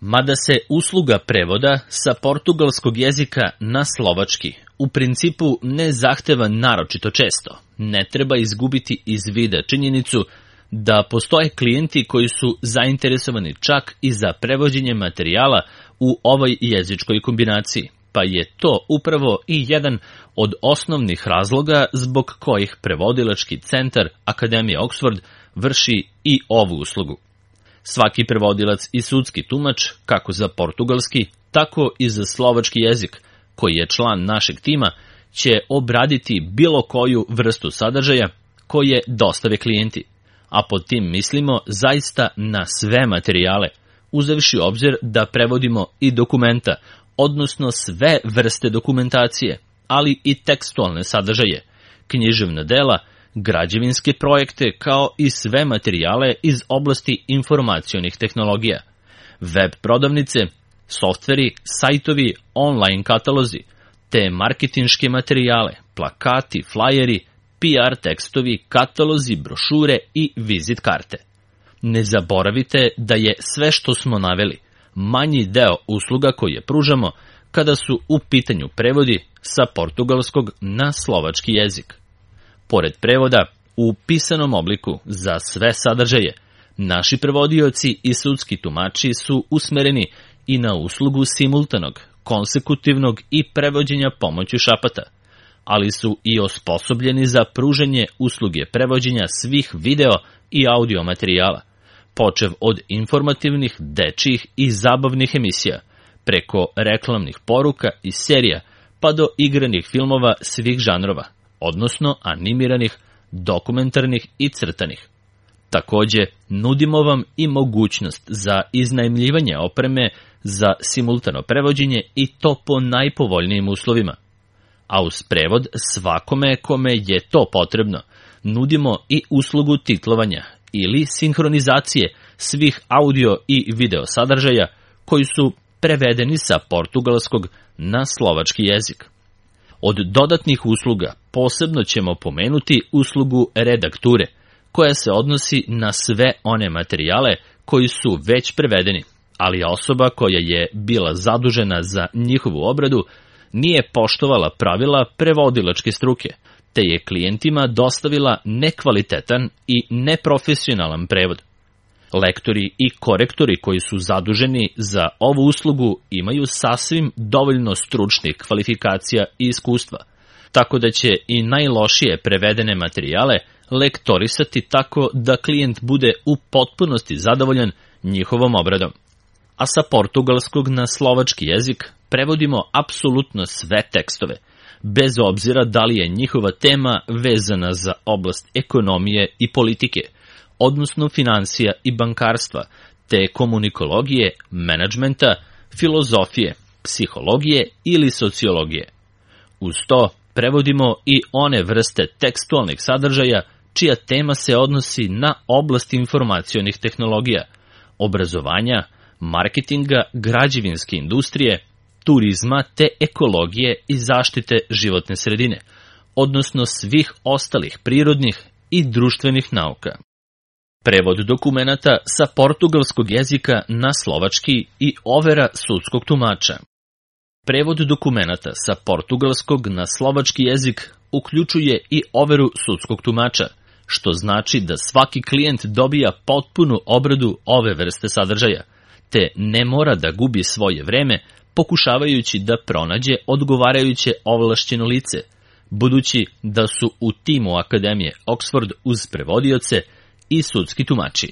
Mada se usluga prevoda sa portugalskog jezika na slovački u principu ne zahteva naročito često, ne treba izgubiti iz vida činjenicu da postoje klijenti koji su zainteresovani čak i za prevođenje materijala u ovoj jezičkoj kombinaciji, pa je to upravo i jedan od osnovnih razloga zbog kojih prevodilački centar Akademije Oxford vrši i ovu uslugu. Svaki prevodilac i sudski tumač, kako za portugalski, tako i za slovački jezik, koji je član našeg tima, će obraditi bilo koju vrstu sadržaja koje dostave klijenti, a pod tim mislimo zaista na sve materijale, uzevši obzir da prevodimo i dokumenta, odnosno sve vrste dokumentacije, ali i tekstualne sadržaje, književna dela, građevinske projekte, kao i sve materijale iz oblasti informacionih tehnologija, web prodavnice, softveri, sajtovi, online katalozi, te marketinške materijale, plakati, flajeri, PR tekstovi, katalozi, brošure i vizit karte. Ne zaboravite da je sve što smo naveli manji deo usluga koje pružamo kada su u pitanju prevodi sa portugalskog na slovački jezik. Pored prevoda u pisanom obliku za sve sadržaje, naši prevodioci i sudski tumači su usmereni i na uslugu simultanog, konsekutivnog i prevođenja pomoću šapata, ali su i osposobljeni za pružanje usluge prevođenja svih video i audio materijala, počev od informativnih, dečjih i zabavnih emisija, preko reklamnih poruka i serija, pa do igranih filmova svih žanrova, odnosno animiranih, dokumentarnih i crtanih. Takođe, nudimo vam i mogućnost za iznajmljivanje opreme za simultano prevođenje i to po najpovoljnijim uslovima. A uz prevod svakome kome je to potrebno, nudimo i uslugu titlovanja ili sinhronizacije svih audio i video sadržaja koji su prevedeni sa portugalskog na slovački jezik. Od dodatnih usluga posebno ćemo pomenuti uslugu redakture, koja se odnosi na sve one materijale koji su već prevedeni, ali osoba koja je bila zadužena za njihovu obradu nije poštovala pravila prevodilačke struke, te je klijentima dostavila nekvalitetan i neprofesionalan prevod. Lektori i korektori koji su zaduženi za ovu uslugu imaju sasvim dovoljno stručnih kvalifikacija i iskustva, tako da će i najlošije prevedene materijale lektorisati tako da klijent bude u potpunosti zadovoljan njihovom obradom. A sa portugalskog na slovački jezik prevodimo apsolutno sve tekstove, bez obzira da li je njihova tema vezana za oblast ekonomije i politike, odnosno financija i bankarstva, te komunikologije, menadžmenta, filozofije, psihologije ili sociologije. Uz to prevodimo i one vrste tekstualnih sadržaja čija tema se odnosi na oblast informacionih tehnologija, obrazovanja, marketinga, građevinske industrije, turizma te ekologije i zaštite životne sredine, odnosno svih ostalih prirodnih i društvenih nauka. Prevod dokumenata sa portugalskog jezika na slovački i overa sudskog tumača. Prevod dokumenata sa portugalskog na slovački jezik uključuje i overu sudskog tumača, što znači da svaki klijent dobija potpunu obradu ove vrste sadržaja, te ne mora da gubi svoje vreme pokušavajući da pronađe odgovarajuće ovlašćeno lice, budući da su u timu Akademije Oxford uz prevodioce i sudski tumači.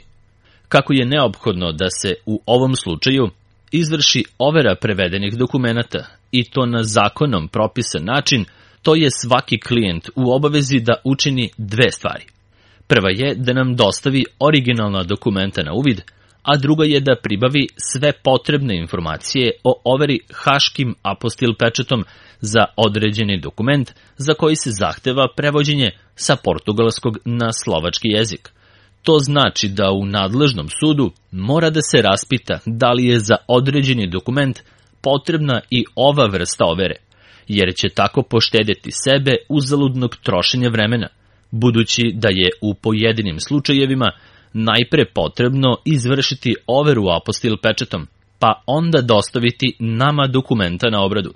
Kako je neophodno da se u ovom slučaju izvrši overa prevedenih dokumenata i to na zakonom propisan način, to je svaki klijent u obavezi da učini dve stvari. Prva je da nam dostavi originalna dokumenta na uvid, a druga je da pribavi sve potrebne informacije o overi haškim apostil pečatom za određeni dokument za koji se zahteva prevođenje sa portugalskog na slovački jezik. To znači da u nadležnom sudu mora da se raspita da li je za određeni dokument potrebna i ova vrsta overe, jer će tako poštedjeti sebe uzaludnog trošenja vremena, budući da je u pojedinim slučajevima najpre potrebno izvršiti overu apostil pečatom, pa onda dostaviti nama dokumenta na obradu,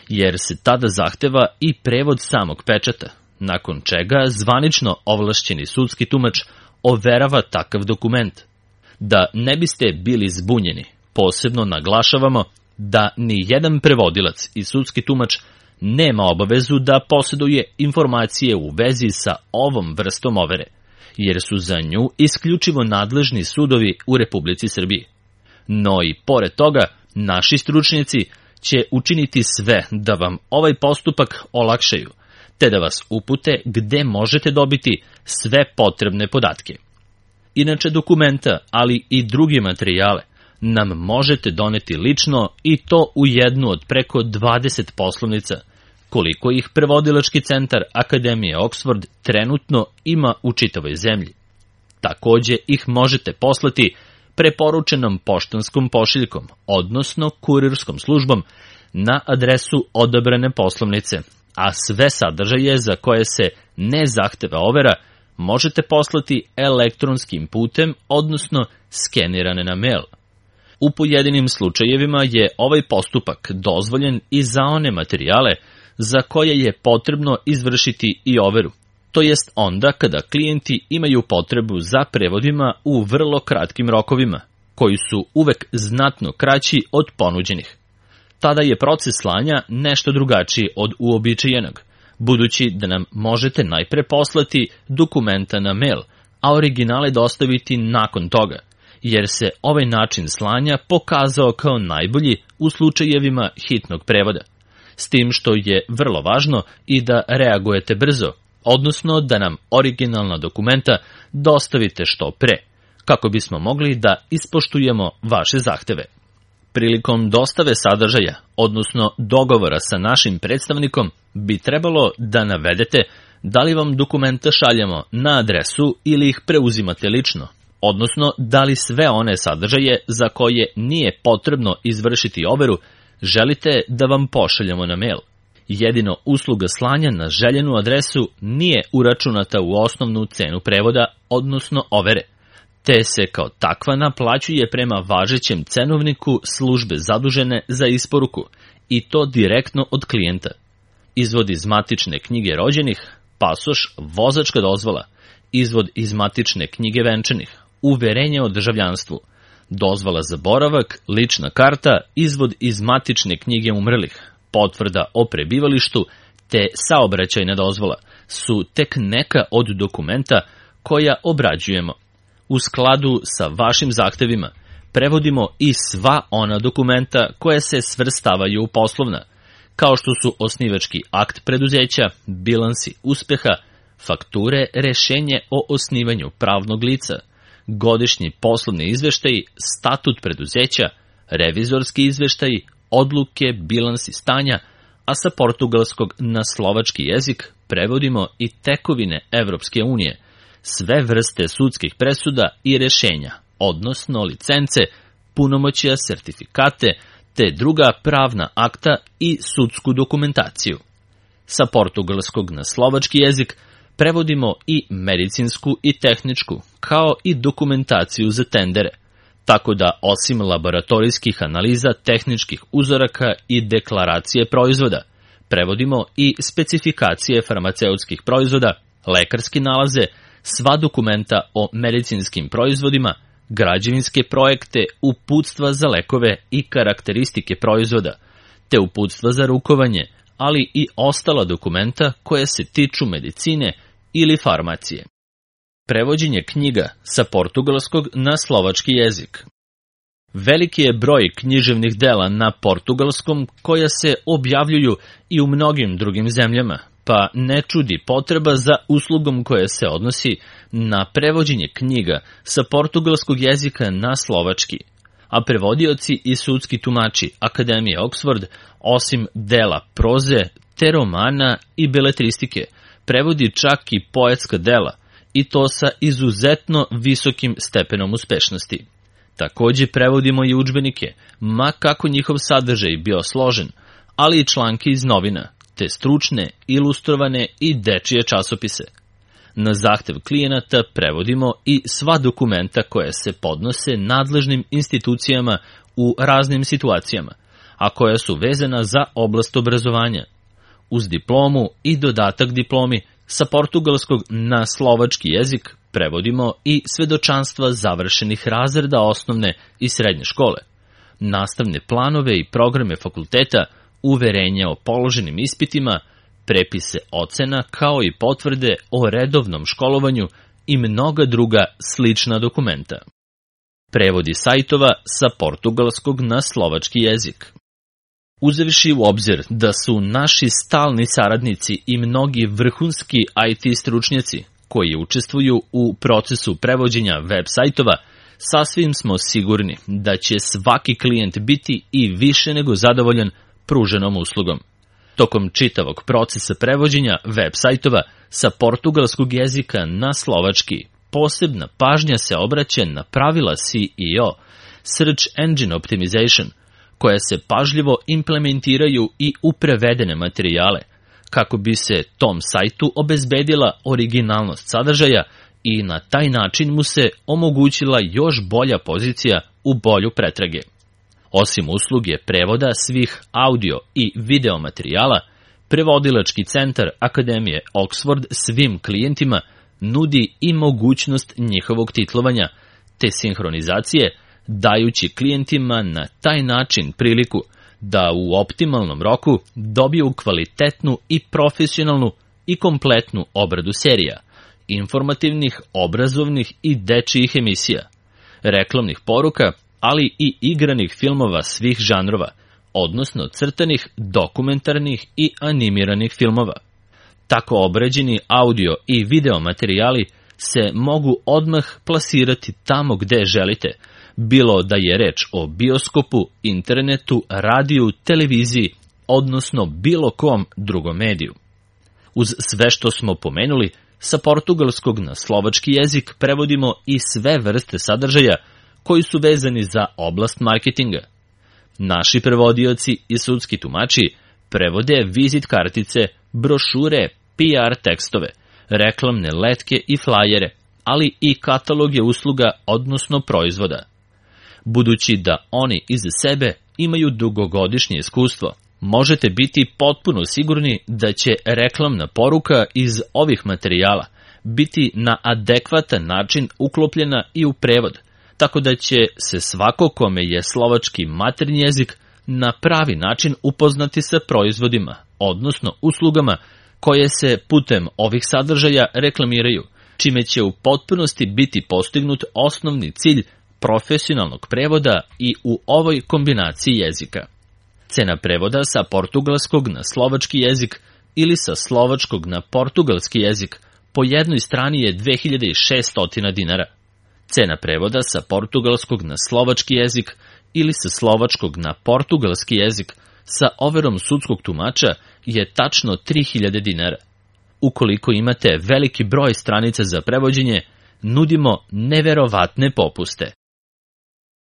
jer se tada zahteva i prevod samog pečata, nakon čega zvanično ovlašćeni sudski tumač overava takav dokument. Da ne biste bili zbunjeni, posebno naglašavamo da ni jedan prevodilac i sudski tumač nema obavezu da posjeduje informacije u vezi sa ovom vrstom overe, jer su za nju isključivo nadležni sudovi u Republici Srbiji. No i pored toga, naši stručnjaci će učiniti sve da vam ovaj postupak olakšaju, te da vas upute gde možete dobiti sve potrebne podatke. Inače dokumenta, ali i druge materijale, nam možete doneti lično i to u jednu od preko 20 poslovnica, koliko ih prevodilački centar Akademije Oxford trenutno ima u čitavoj zemlji. Takođe ih možete poslati preporučenom poštanskom pošiljkom, odnosno kurirskom službom, na adresu odabrane poslovnice, a sve sadržaje za koje se ne zahteva overa možete poslati elektronskim putem, odnosno skenirane na mail. U pojedinim slučajevima je ovaj postupak dozvoljen i za one materijale za koje je potrebno izvršiti i overu, to jest onda kada klijenti imaju potrebu za prevodima u vrlo kratkim rokovima, koji su uvek znatno kraći od ponuđenih. Tada je proces slanja nešto drugačiji od uobičajenog, budući da nam možete najpre poslati dokumenta na mail, a originale dostaviti nakon toga, jer se ovaj način slanja pokazao kao najbolji u slučajevima hitnog prevoda, s tim što je vrlo važno i da reagujete brzo, odnosno da nam originalna dokumenta dostavite što pre, kako bismo mogli da ispoštujemo vaše zahteve. Prilikom dostave sadržaja, odnosno dogovora sa našim predstavnikom, bi trebalo da navedete da li vam dokumenta šaljemo na adresu ili ih preuzimate lično, odnosno da li sve one sadržaje za koje nije potrebno izvršiti overu želite da vam pošaljemo na mail. Jedino usluga slanja na željenu adresu nije uračunata u osnovnu cenu prevoda, odnosno overe, te se kao takva naplaćuje prema važećem cenovniku službe zadužene za isporuku, i to direktno od klijenta. Izvod iz matične knjige rođenih, pasoš, vozačka dozvola, izvod iz matične knjige venčanih, uverenje o državljanstvu, dozvola za boravak, lična karta, izvod iz matične knjige umrlih, potvrda o prebivalištu te saobraćajna dozvola su tek neka od dokumenta koja obrađujemo. U skladu sa vašim zahtevima prevodimo i sva ona dokumenta koje se svrstavaju u poslovna, kao što su osnivački akt preduzeća, bilansi uspeha, fakture, rešenje o osnivanju pravnog lica, godišnji poslovni izveštaji, statut preduzeća, revizorski izveštaji, odluke, bilansi stanja, a sa portugalskog na slovački jezik prevodimo i tekovine Evropske unije, sve vrste sudskih presuda i rešenja, odnosno licence, punomoćja, sertifikate, te druga pravna akta i sudsku dokumentaciju. Sa portugalskog na slovački jezik prevodimo i medicinsku i tehničku, kao i dokumentaciju za tendere, tako da osim laboratorijskih analiza tehničkih uzoraka i deklaracije proizvoda, prevodimo i specifikacije farmaceutskih proizvoda, lekarske nalaze, sva dokumenta o medicinskim proizvodima, građevinske projekte, uputstva za lekove i karakteristike proizvoda, te uputstva za rukovanje, ali i ostala dokumenta koje se tiču medicine ili farmacije. Prevođenje knjiga sa portugalskog na slovački jezik. Veliki je broj književnih dela na portugalskom koja se objavljuju i u mnogim drugim zemljama, pa ne čudi potreba za uslugom koja se odnosi na prevođenje knjiga sa portugalskog jezika na slovački, a prevodioci i sudski tumači Akademije Oxford, osim dela proze, te romana i beletristike, prevodi čak i poetska dela, i to sa izuzetno visokim stepenom uspešnosti. Takođe prevodimo i udžbenike, ma kako njihov sadržaj bio složen, ali i članke iz novina, te stručne, ilustrovane i dečije časopise. Na zahtev klijenata prevodimo i sva dokumenta koja se podnose nadležnim institucijama u raznim situacijama, a koja su vezana za oblast obrazovanja. Uz diplomu i dodatak diplomi sa portugalskog na slovački jezik prevodimo i svedočanstva završenih razreda osnovne i srednje škole, nastavne planove i programe fakulteta, uverenja o položenim ispitima, prepise ocena kao i potvrde o redovnom školovanju i mnoga druga slična dokumenta. Prevodi sajtova sa portugalskog na slovački jezik. Uzevši u obzir da su naši stalni saradnici i mnogi vrhunski IT stručnjaci koji učestvuju u procesu prevođenja web sajtova, sasvim smo sigurni da će svaki klijent biti i više nego zadovoljan pruženom uslugom. Tokom čitavog procesa prevođenja web sajtova sa portugalskog jezika na slovački, posebna pažnja se obraća na pravila SEO, Search Engine Optimization, koja se pažljivo implementiraju i u prevedene materijale, kako bi se tom sajtu obezbedila originalnost sadržaja i na taj način mu se omogućila još bolja pozicija u bolju pretrage. Osim usluge prevoda svih audio i video materijala, prevodilački centar Akademije Oxford svim klijentima nudi i mogućnost njihovog titlovanja te sinhronizacije, dajući klijentima na taj način priliku da u optimalnom roku dobiju kvalitetnu i profesionalnu i kompletnu obradu serija, informativnih, obrazovnih i dečijih emisija, reklamnih poruka, ali i igranih filmova svih žanrova, odnosno crtanih, dokumentarnih i animiranih filmova. Tako obrađeni audio i video materijali se mogu odmah plasirati tamo gde želite, bilo da je reč o bioskopu, internetu, radiju, televiziji, odnosno bilo kom drugom mediju. Uz sve što smo pomenuli, sa portugalskog na slovački jezik prevodimo i sve vrste sadržaja koji su vezani za oblast marketinga. Naši prevodioci i sudski tumači prevode vizit kartice, brošure, PR tekstove, reklamne letke i flajere, ali i kataloge usluga, odnosno proizvoda. Budući da oni iz sebe imaju dugogodišnje iskustvo, možete biti potpuno sigurni da će reklamna poruka iz ovih materijala biti na adekvatan način uklopljena i u prevod, tako da će se svako kome je slovački maternji jezik na pravi način upoznati sa proizvodima, odnosno uslugama koje se putem ovih sadržaja reklamiraju, čime će u potpunosti biti postignut osnovni cilj profesionalnog prevoda i u ovoj kombinaciji jezika. Cena prevoda sa portugalskog na slovački jezik ili sa slovačkog na portugalski jezik po jednoj strani je 2600 dinara. Cena prevoda sa portugalskog na slovački jezik ili sa slovačkog na portugalski jezik sa overom sudskog tumača je tačno 3000 dinara. Ukoliko imate veliki broj stranica za prevođenje, nudimo neverovatne popuste.